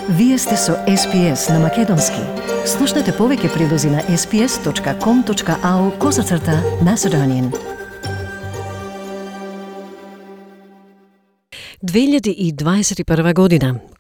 Вие сте со SPS на Македонски. Слушнете повеќе прилози на sps.com.au/Macedonian. 2021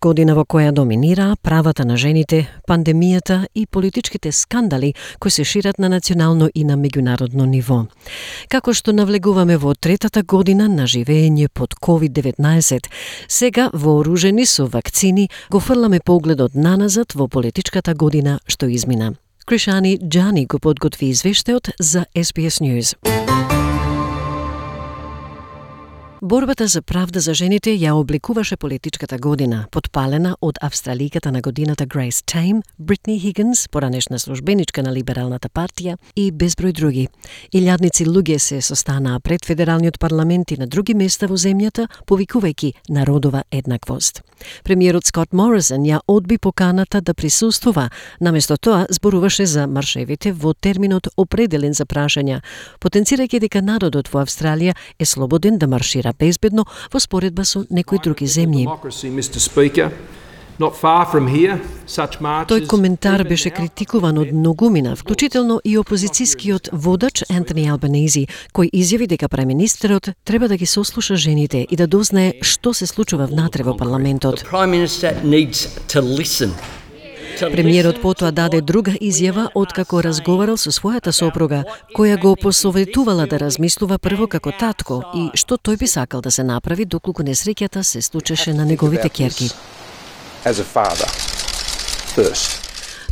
година во која доминираа правата на жените, пандемијата и политичките скандали кои се шират на национално и на меѓународно ниво. Како што навлегуваме во третата година на живење под COVID-19, сега вооружени со вакцини го фрламе погледот наназад во политичката година што измина. Кришани Џани го подготви извештајот за SBS News. Борбата за правда за жените ја обликуваше политичката година, подпалена од австраликата на годината Грейс Тейм, Бритни Хигинс, поранешна службеничка на Либералната партија и безброј други. Илјадници луѓе се состанаа пред федералниот парламент и на други места во земјата, повикувајќи народова еднаквост. Премиерот Скот Морисон ја одби поканата да присуствува, наместо тоа зборуваше за маршевите во терминот определен за прашања, потенцирајќи дека народот во Австралија е слободен да маршира безбедно во споредба со некои други земји. Тој коментар беше критикуван од многумина, вклучително и опозицијскиот водач Ентони Албанези, кој изјави дека премиnisтерот треба да ги сослуша жените и да дознае што се случува внатре во парламентот. Премиерот потоа даде друга изјава откако разговарал со својата сопруга, која го посоветувала да размислува прво како татко и што тој би сакал да се направи доколку несреќата се случеше на неговите ќерки.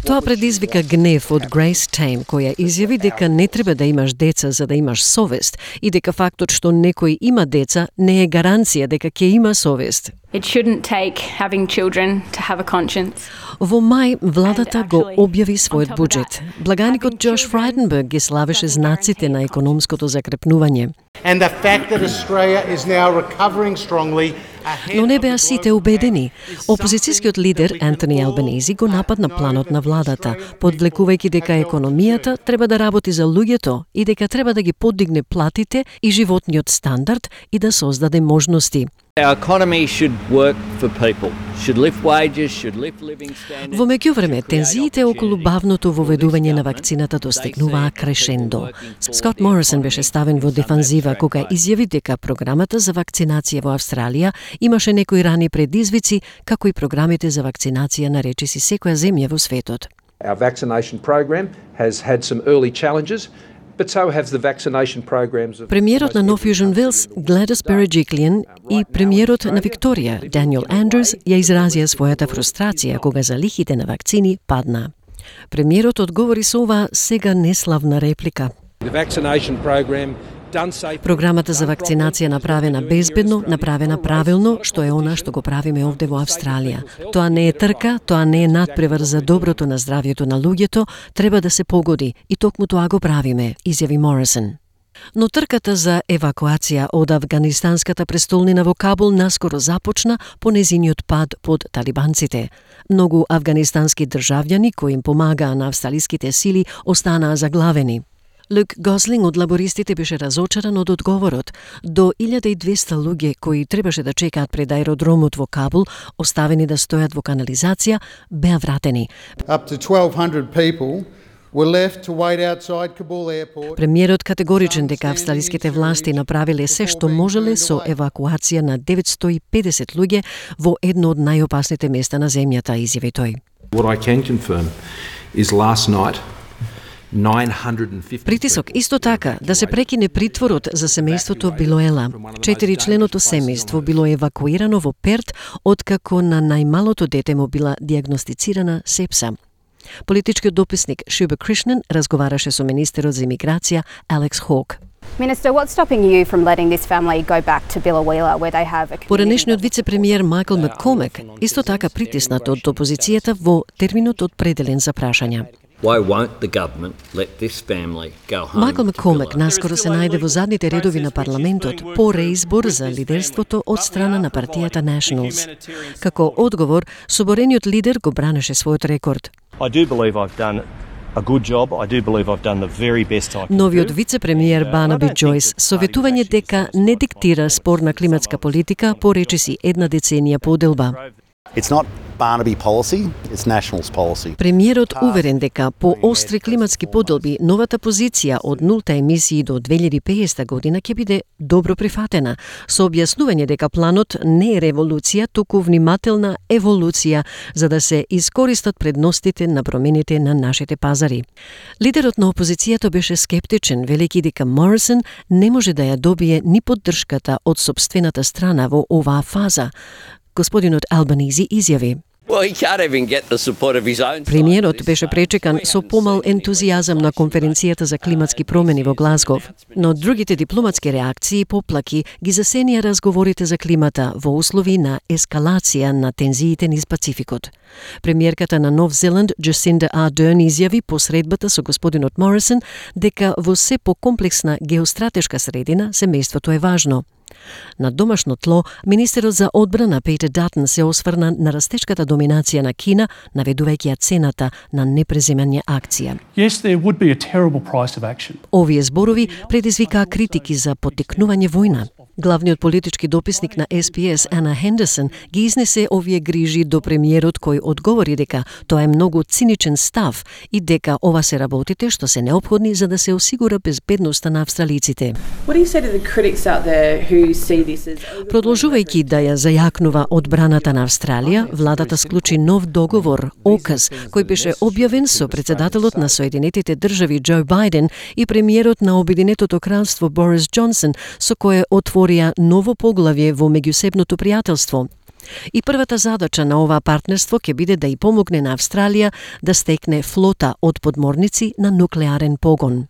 Тоа предизвика гнев од Грейс Тейм, која изјави дека не треба да имаш деца за да имаш совест и дека фактот што некој има деца не е гаранција дека ќе има совест. It shouldn't take having children to have a conscience. Во мај владата го објави својот буџет. Благаникот Джош Фрайденберг ги славеше знаците на економското закрепнување. And the fact that Australia is now recovering strongly. Но не беа сите убедени. Опозицијскиот лидер Ентони Албанези го нападна планот на владата, подвлекувајќи дека економијата треба да работи за луѓето и дека треба да ги подигне платите и животниот стандард и да создаде можности. Our economy should work for people, should lift wages, should lift living standards. Во меѓувреме, тензиите околу бавното воведување на вакцината достигнуваа крешендо. Скот Морисон беше ставен во дефанзива кога изјави дека програмата за вакцинација во Австралија имаше некои рани предизвици, како и програмите за вакцинација на речиси секоја земја во светот. Our vaccination program has had some early challenges. But so have the vaccination programs of... Премиерот на Нов Јужен Велс, Гледис Береджиклиан, и премиерот на Викторија, Даниел Андрус, ја изразија својата фрустрација кога залихите на вакцини падна. Премиерот одговори со оваа сега неславна реплика. The vaccination program done safe. Програмата за вакцинација направена безбедно, направена правилно, што е она што го правиме овде во Австралија. Тоа не е трка, тоа не е надпревар за доброто на здравјето на луѓето, треба да се погоди и токму тоа го правиме, изјави Морисон. Но трката за евакуација од афганистанската престолнина во Кабул наскоро започна по незиниот пад под талибанците. Многу афганистански државјани кои им помагаа на австралиските сили останаа заглавени. Люк Гослинг од лабористите беше разочаран од одговорот. До 1200 луѓе кои требаше да чекаат пред аеродромот во Кабул, оставени да стојат во канализација, беа вратени. Up to 1200 people were left to wait outside Kabul airport. Премиерот категоричен дека австралиските власти направиле се што можеле со евакуација на 950 луѓе во едно од најопасните места на земјата, изјави тој. What I can confirm is last night Притисок исто така да се прекине притворот за семејството Билоела. 4-членото семејство било евакуирано во Перт откако на најмалото дете му била диагностицирана сепса. Политичкиот дописник Шуба Кришнан разговараше со министерот за имиграција Алекс Хок. Minister, what's stopping you from letting this family go back to Billawheeler where they have a community? Поранешниот вице-премиер Майкл Маккомек исто така притиснат од опозицијата во терминот определен за прашања. Why won't the government let this family go home? Майкл Маккомек наскоро се најде во задните редови на парламентот по реизбор за лидерството од страна на партијата Nationals. Како одговор, соборениот лидер го бранеше својот рекорд. I do believe I've done a good job. I do believe I've done the very best I can. Новиот вице-премиер Барнаби Џојс советување дека не диктира спорна климатска политика по речиси една деценија поделба. It's not Barnaby policy, it's Nationals policy. Премиерот уверен дека по остри климатски поделби новата позиција од нулта емисии до 2050 година ќе биде добро прифатена, со објаснување дека планот не е револуција, туку внимателна еволуција за да се искористат предностите на промените на нашите пазари. Лидерот на опозицијата беше скептичен, велејќи дека Морисон не може да ја добие ни поддршката од сопствената страна во оваа фаза. Господинот Албанизи изјави: Well, he can't even get the support of his own. Премиерот беше пречекан со помал ентузијазам на конференцијата за климатски промени во Глазгов, но другите дипломатски реакции и поплаки ги засенија разговорите за климата во услови на ескалација на тензиите низ Пацификот. Премиерката на Нов Зеланд Джасинда Ардерн изјави по средбата со господинот Морисон дека во се покомплексна геостратешка средина семејството е важно. На домашно тло, министерот за одбрана Петер Датон се осврна на растечката доминација на Кина, наведувајќи ја цената на непреземање акција. Yes, there would be a terrible price of action. Овие зборови предизвикаа критики за поттикнување војна. Главниот политички дописник на SPS Ана Хендерсон ги изнесе овие грижи до премиерот кој одговори дека тоа е многу циничен став и дека ова се работите што се неопходни за да се осигура безбедноста на австралиците. Продолжувајќи да ја зајакнува одбраната на Австралија, владата склучи нов договор, ОКАЗ, кој беше објавен со председателот на Соединетите држави Џо Бајден и премиерот на Обединетото кралство Борис Џонсон, со кое отворија ново поглавје во меѓусебното пријателство. И првата задача на оваа партнерство ќе биде да и помогне на Австралија да стекне флота од подморници на нуклеарен погон.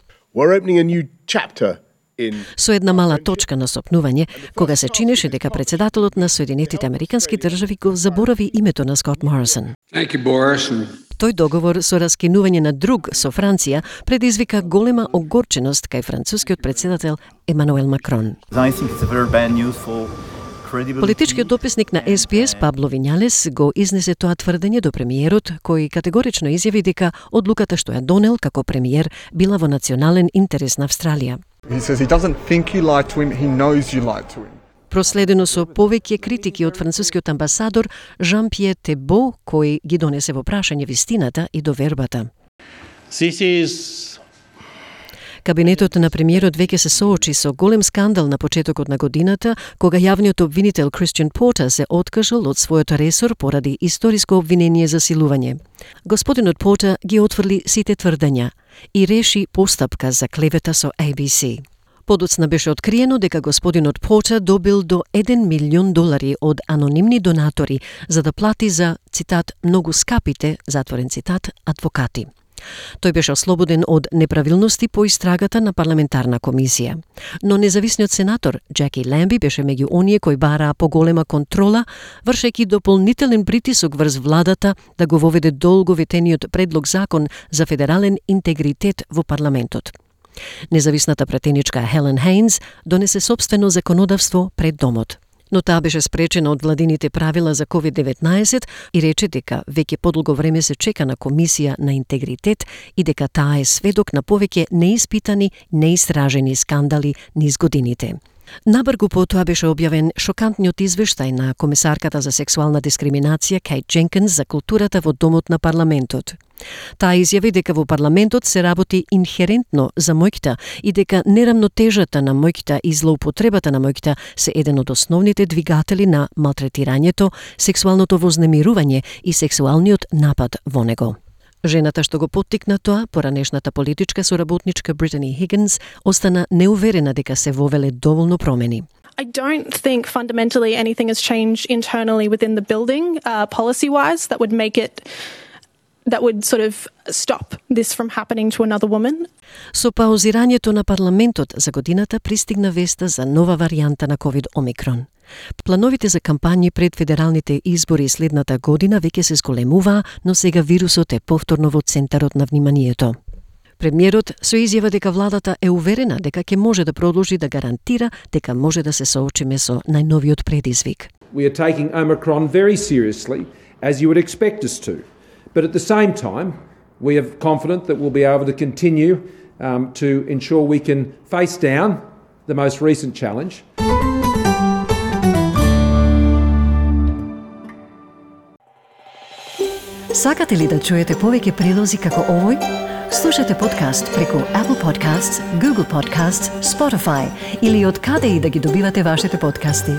Со една мала точка на сопнување, кога се чинеше дека председателот на Соединетите Американски држави го заборави името на Скот Морисон. Тој договор со раскинување на друг со Франција предизвика голема огорченост кај францускиот председател Емануел Макрон. Политичкиот дописник на SPS Пабло Вињалес го изнесе тоа тврдење до премиерот, кој категорично изјави дека одлуката што ја донел како премиер била во национален интерес на Австралија. Проследено со повеќе критики од францускиот амбасадор Жан-Пьер Тебо, кој ги донесе во прашање вистината и довербата. Кабинетот на премиерот веќе се соочи со голем скандал на почетокот на годината, кога јавниот обвинител Кристијан Портер се откажал од својот ресор поради историско обвинение за силување. Господинот Портер ги отфрли сите тврдења и реши постапка за клевета со ABC. Подоцна беше откриено дека господинот Портер добил до $1 милион од анонимни донатори за да плати за, цитат, многу скапите, затворен цитат, адвокати. Тој беше ослободен од неправилности по истрагата на парламентарна комисија. Но независниот сенатор Джеки Ламби беше меѓу оние кои бараа поголема контрола, вршејќи дополнителен притисок врз владата да го воведе долго ветениот предлог закон за федерален интегритет во парламентот. Независната пратеничка Хелен Хейнс донесе сопствено законодавство пред домот. Но таа беше спречена од владините правила за COVID-19 и рече дека веќе подолго време се чека на комисија на интегритет и дека таа е сведок на повеќе неиспитани, неистражени скандали низ годините. Набргу потоа беше објавен шокантниот извештај на комесарката за сексуална дискриминација Кейт Дженкинс за културата во домот на парламентот. Таа изјави дека во парламентот се работи инхерентно за мојкта и дека нерамнотежата на мојкта и злоупотребата на мојкта се еден од основните двигатели на малтретирањето, сексуалното вознемирување и сексуалниот напад во него. Жената што го поттикна тоа, поранешната политичка соработничка Британи Хигинс, остана неуверена дека се вовеле доволно промени. I don't think fundamentally anything has changed internally within the building, policy-wise, that would sort of stop this from happening to another woman. Со паузирањето на парламентот за годината пристигна веста за нова варијанта на COVID-Омикрон. Плановите за кампањи пред федералните избори следната година веќе се зголемуваа, но сега вирусот е повторно во центарот на вниманието. Премиерот со изјава дека владата е уверена дека ќе може да продолжи да гарантира дека може да се соочиме со најновиот предизвик. We are taking Omicron very seriously, as you would expect us to. But at the same time, we are confident that we'll be able to continue to ensure we can face down the most recent challenge. Сакате ли да чуете повеќе прилози како овој? Слушате подкаст преку Apple Podcasts, Google Podcasts, Spotify или од каде и да ги добивате вашите подкасти.